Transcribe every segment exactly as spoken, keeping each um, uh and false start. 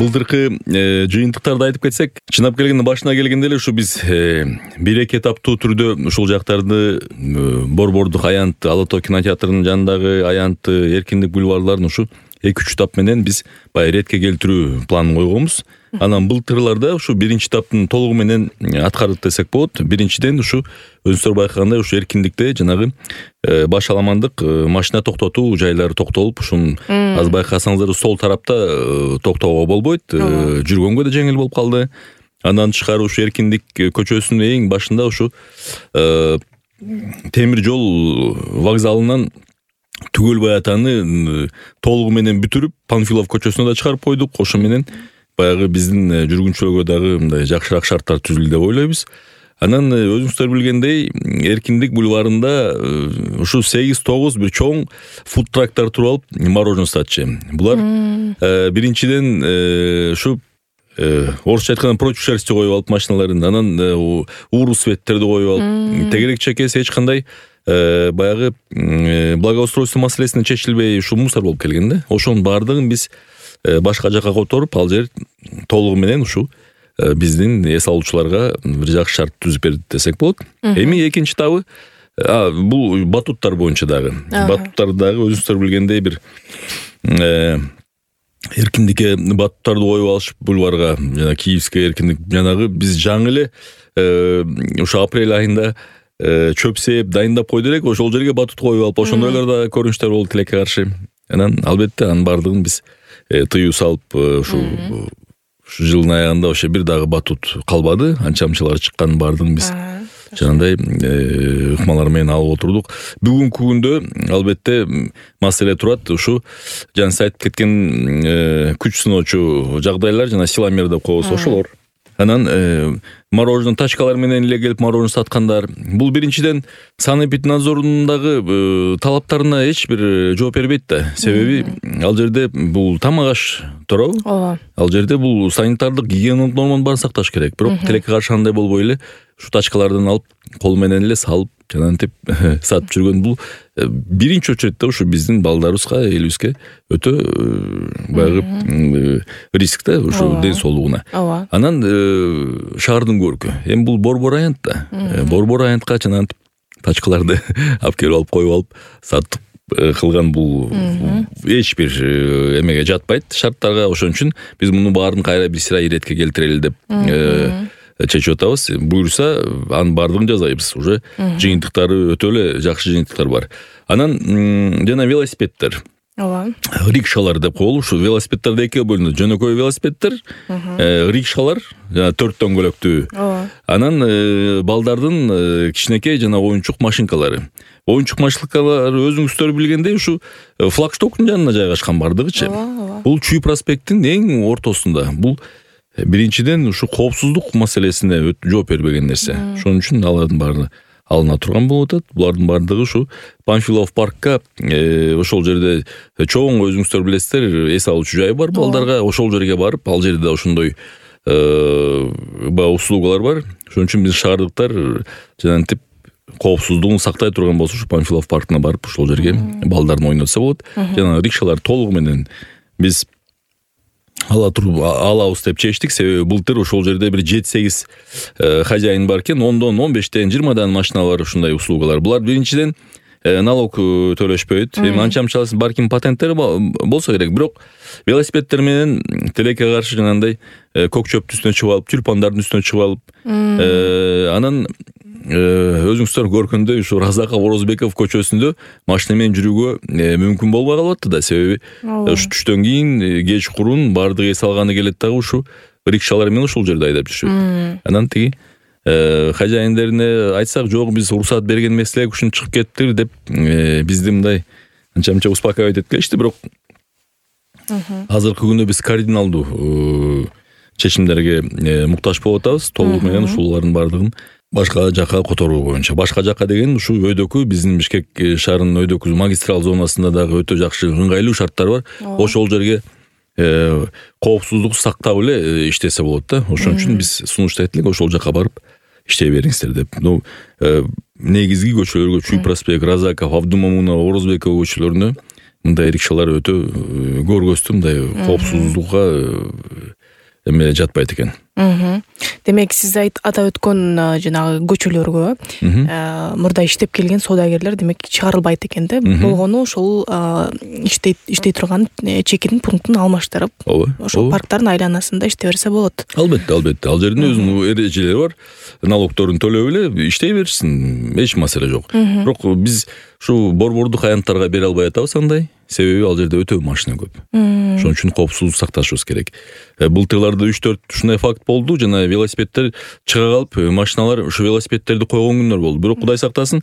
былтыркы жыйынтыктарды айтып кетсек, чынап келгенде башына келгенде эле ушу биз бир эки этаптуу түрдө ушул жактарды Борбордук аянт, Ала тоо кинотеатрынын жанындагы аянты, Эркиндик бульварларын ушу эки үч этап менен биз баягы иретке келтирүү планын койгонбуз. Анан былтырларда ушу биринчи этаптын толугу менен аткарылды десек болот. Биринчиден ушу өзүңүздөр байкагандай ушу Эркиндикте жанагы баш аламандык машина токтотуу жайлары токтолуп, ушун аз байкасаңыздар сол тарапта токтоого болбойт. Жүргөнгө да жеңил болуп калды. Андан тышкары ушу Эркиндик көчөсүнүн эң башында ушу темир жол вокзалынан түгөл Баятаны толугу менен бүтүрүп, Панфилов көчөсүнө да чыгарып койдук. Ошо менен баягы биздин жүргүнчүлөргө дагы мындай жакшыраак шарттар түзүлдү деп ойлойбуз. Анан өзүңүздөр билгендей, Эркиндик бульварында ушу сегиз тогуз бир чоң фудтрактар туруп алып, мороженое сатчы. Булар биринчиден ушу орусча айтканда против шерсти коюп алып машиналарын, анан ууру светтерди коюп алып, тегерек чекеси эч кандай баягы благоустройство маселесине чечилбей ушу мусор болуп келген да. Ошонун баардыгын биз башка жакка которуп, ал жер толугу менен ушу биздин эс алуучуларга бир жакшы шарт түзүп берди десек болот. Эми экинчи табы бул батуттар боюнча дагы. Батуттар дагы өзүңүздөр билгендей бир Эркиндикке батуттарды коюп алышып бульварга, жана Киевский Эркиндик жанагы биз жаңы эле ушу апрель айында чөп сээп дайындап койду элек, ошол жерге батут коюп алып, ошондойлор да көрүнүштөр болду тилекке каршы. Анан албетте анын баардыгын биз тыюу салып, ушу жылдын аягында ошо бир дагы батут калбады. Анча-мынчалар чыккан баардыгын биз жанагындай ыкмалар менен алып отурдук. Бүгүнкү күндө албетте маселе турат. Ушу жана сиз айтып кеткен күч сыноочу жагдайлар, жана силомер деп коебуз, ошолор. Анан мороженое тачкалар менен эле келип мороженое саткандар. Бул биринчиден санэпиднадзордун дагы талаптарына эч бир жооп бербейт да. Себеби ал жерде бул тамак аш туурабы? Ооба. Ал жерде бул санитардык гигиеналык норманы баарын сакташ керек. Бирок тилекке каршы андай болбой эле ушу тачкалардан алып, кол менен эле салып, жанагынтип сатып жүргөн бул биринчи очередде ушу биздин балдарыбызга, элибизге өтө баягы риск да, ушу ден соолугуна. Анан шаардын көркү. Эми бул Борбор аянт да. Борбор аянтка жанагынтип тачкаларды алып келип алып коюп алып сатып кылган бул эч бир эмеге жатпайт, шарттарга. Ошон үчүн биз муну баарын кайра бир сыра иретке келтирели деп чечип атабыз. Буюрса, анын баардыгын жазайбыз. Уже жыйынтыктары өтө эле жакшы жыйынтыктар бар. Анан жана велосипеддер. Ооба. Рикшалар деп коелу. Ушу велосипеддер экиге бөлүнөт. Жөнөкөй велосипеддер, рикшалар, жана төрт дөңгөлөктүү. Анан балдардын кичинекей жана оюнчук машинкалары. Оюнчук машинкалар өзүңүздөр билгендей ушу флагштоктун жанына жайгашкан бардыгычы. Бул Чүй проспекттин эң ортосунда. Бул биринчиден ушу коопсуздук маселесине жооп бербеген нерсе. Ошон үчүн алардын баары алына турган болуп атат. Булардын баардыгы ушу Панфилов паркка, ошол жерде чоң өзүңүздөр билесиздер, эс алуучу жай бар балдарга. Ошол жерге барып, ал жерде ошондой услугалар бар. Ошон үчүн биз шаардыктар жанагынтип коопсуздугун сактай турган болсо, ушу Панфилов паркына барып, ошол жерге балдарын ойнотса болот. Жана рикшалар толугу менен биз ала туруп алабыз деп чечтик. Себеби былтыр ошол жерде бир жети сегиз хозяин бар экен, ондон он бештен жыйырмадан машиналар ушундай услугалар. Булар биринчиден налог төлөшпөйт. Эми анча-мынча барким патенттери болсо керек, бирок велосипеддер менен тилекке каршы жанагындай көк чөптүн үстүнө чыгып алып, тюльпандардын үстүнө чыгып алып, анан өзүңүздөр көргөндөй ушу Разаков Орозбеков көчөсүндө машина менен жүрүүгө мүмкүн болбой калып атты да. Себеби ушу түштөн кийин кеч курун баардыгы эс алганы келет дагы ушу рикшалар менен ушул жерде айдап жүрүшөт. Анан тиги хозяиндерине айтсак, жок биз уруксат берген эмес элек, ушуну чыгып кеттир деп бизди мындай анча-мынча успокаивать этип келишти. Бирок азыркы күндө биз кардиналдуу чечимдерге муктаж болуп атабыз. Толугу менен ушулардын баардыгын башка жакка которуу боюнча. Башка жакка деген ушу өйдөкү биздин Бишкек шаарынын өйдөкү магистрал зонасында дагы өтө жакшы ыңгайлуу шарттар бар. Ошол жерге коопсуздук сактап эле иштесе болот да. Ошон үчүн биз сунуштайт элек, ошол жакка барып иштей бериңиздер деп. Ну негизги көчөлөргө Чүй проспект, Разаков, Абдумамунов, Орозбеков көчөлөрүнө мындай рикшалар өтө көргөзтүм, мындай коопсуздукка эме жатпайт экен. Демек сиз атап өткөн жанагы көчөлөргө мурда иштеп келген соодагерлер демек чыгарылбайт экен да. Болгону ошол иштей иштей турган чекитин пунктун алмаштырып, ошол парктардын айланасында иштей берсе болот. Албетте, албетте. Ал жердин өзүнүн эрежелери бар. Налогторун төлөп эле иштей беришсин, эч маселе жок. Бирок биз ушу борбордук аянттарга бере албай атабыз андай. Себеби ал жерде өтө машина көп. Ошон үчүн коопсуздук сакташыбыз керек. Былтырларда үч төрт ушундай факт болду. Жана велосипеддер чыга калып, машиналар ушу велосипедтерди койгон күндөр болду. Бирок Кудай сактасын,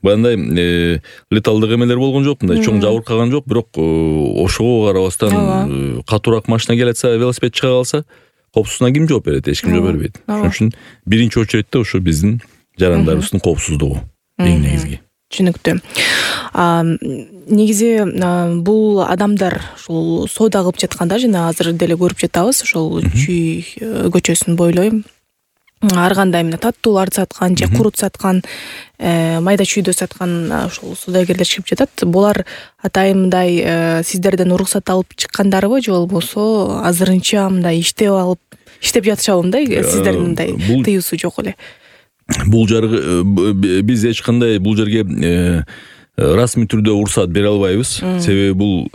баягындай леталдык эмелер болгон жок, мындай чоң жабыркаган жок. Бирок ошого карабастан катуураак машина келатса, велосипед чыга калса, коопсуздугуна ким жооп берет? Эч ким жооп бербейт. Ошон үчүн биринчи очередте ушу биздин жарандарыбыздын коопсуздугу эң негизги. Түшүнүктүү. Негизи бул адамдар ушул соода кылып жатканда жана азыр деле көрүп жатабыз, ошол Чүй көчөсүн бойлой ар кандай эмне таттууларды саткан же курут саткан, майда чүйдө саткан ошол соодагерлер чыгып жатат. Булар атайын мындай сиздерден уруксат алып чыккандарбы же болбосо азырынча мындай иштеп алып, иштеп жатышабы мындай сиздердин мындай тыюусу жок эле? Бул жаргы биз эч кандай бул жерге расмий түрдө уруксат бере албайбыз. Себеби бул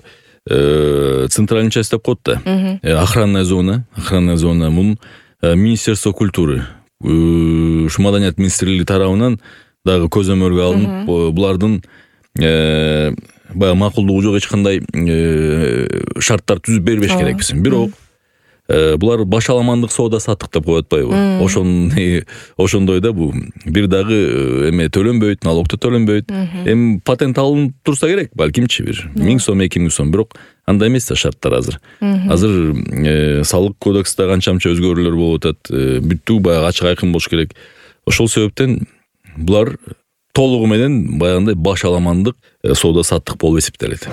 центральный часть деп коет да. Охранная зона, охранная зона. Бул Министерство культуры, ушу маданият министрлиги тарабынан дагы көзөмөлгө алынып, булардын баягы макулдугу жок эч кандай шарттар түзүп бербеш керекпиз. Бирок булар башаламандык соода саттык деп коюп атпайбы? Ошон ошондой да бул бир дагы эме төлөнбөйт, налог да төлөнбөйт. Эми патент алынып турса керек, балкимчи бир миң сом, эки миң сом, бирок андай эмес да шарттар азыр. Азыр салык кодексте канча-канча өзгөрүүлөр болуп атат. Бүттү баягы ачык айкын болуш керек. Ошол себептен булар толугу менен баягындай башаламандык соода саттык болуп эсептелет.